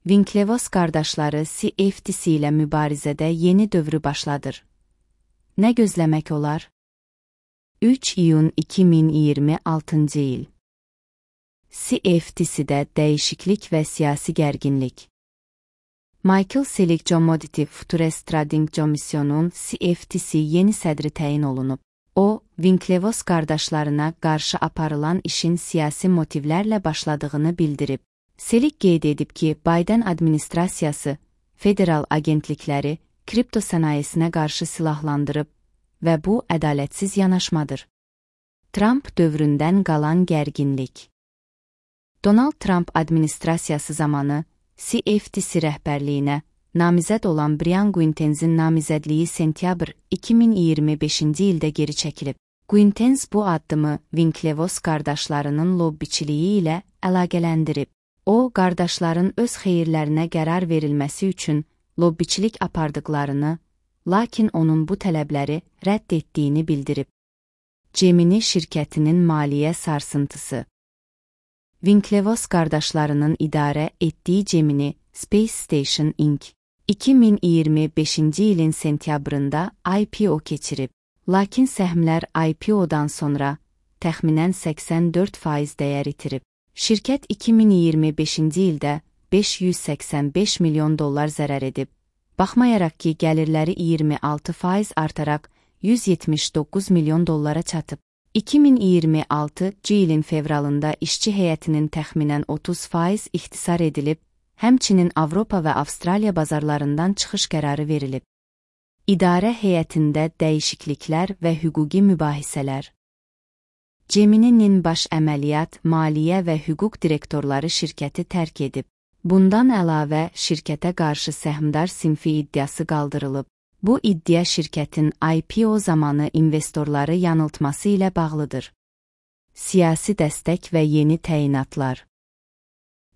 Winklevoss qardaşları CFTC ilə mübarizədə yeni dövrü başladır. Nə gözləmək olar? 3 iyun 2026 il. CFTC-də dəyişiklik və siyasi gərginlik. Michael Selig Commodity Futures Trading Commission'un CFTC yeni sədri təyin olunub. O, Winklevoss qardaşlarına qarşı aparılan işin siyasi motivlərlə başladığını bildirib. Selig qeyd edib ki, Biden administrasiyası federal agentlikləri kripto sənayesinə qarşı silahlandırıb və bu ədalətsiz yanaşmadır. Trump dövründən qalan gərginlik. Donald Trump administrasiyası zamanı CFTC rəhbərliyinə namizəd olan Brian Quintenz'in namizədliyi sentyabr 2025-ci ildə geri çəkilib. Quintenz bu addımı Winklevoss qardaşlarının lobbiçiliyi ilə əlaqələndirib. O, qardaşların öz xeyirlərinə qərar verilməsi üçün lobbiçilik apardıqlarını, lakin onun bu tələbləri rədd etdiyini bildirib. Gemini şirkətinin maliyyə sarsıntısı. Winklevoss qardaşlarının idarə etdiyi Gemini Space Station Inc. 2025-ci ilin sentyabrında IPO keçirib, lakin səhmlər IPO-dan sonra təxminən 84% dəyər itirib. Şirkət 2025-ci ildə $585 milyon zərər edib, baxmayaraq ki, gəlirləri 26% artaraq $179 milyon çatıb. 2026-cı ilin fevralında işçi heyətinin təxminən 30% ixtisar edilib, həmçinin Avropa və Avstraliya bazarlarından çıxış qərarı verilib. İdarə heyətində dəyişikliklər və hüquqi mübahisələr. Gemini'nin baş əməliyyat, maliyyə və hüquq direktorları şirkəti tərk edib. Bundan əlavə, şirkətə qarşı səhmdar sinfi iddiası qaldırılıb. Bu iddia şirkətin IPO zamanı investorları yanıltması ilə bağlıdır. Siyasi dəstək və yeni təyinatlar.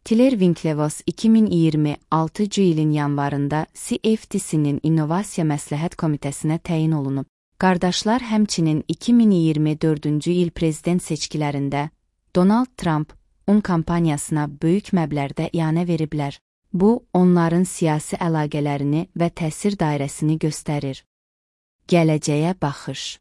Tiller Winklevoss 2026-cı ilin yanvarında CFTC-nin İnnovasiya Məsləhət Komitəsinə təyin olunub. Qardaşlar həmçinin 2024-cü il prezident seçkilərində Donald Trump-un kampaniyasına böyük məbləğdə ianə veriblər. Bu, onların siyasi əlaqələrini və təsir dairəsini göstərir. Gələcəyə baxış.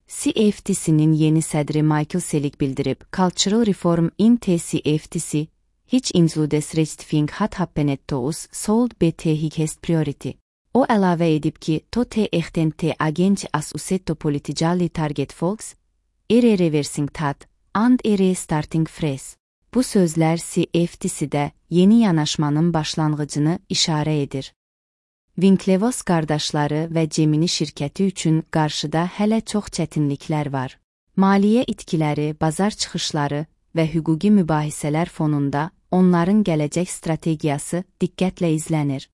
CFTC-nin yeni sədri Michael Selig bildirib, Cultural Reform in CFTC, hiç includes Rectifying hat happenettos sold BT highest priority. O əlavə edib ki, tote ehtente agenti as usetto politicali target folks, reversing tat, and starting fresh. Bu sözlər CFTC-də yeni yanaşmanın başlanğıcını işarə edir. Winklevoss qardaşları və Gemini şirkəti üçün qarşıda hələ çox çətinliklər var. Maliyyə itkiləri, bazar çıxışları və hüquqi mübahisələr fonunda onların gələcək strategiyası diqqətlə izlənir.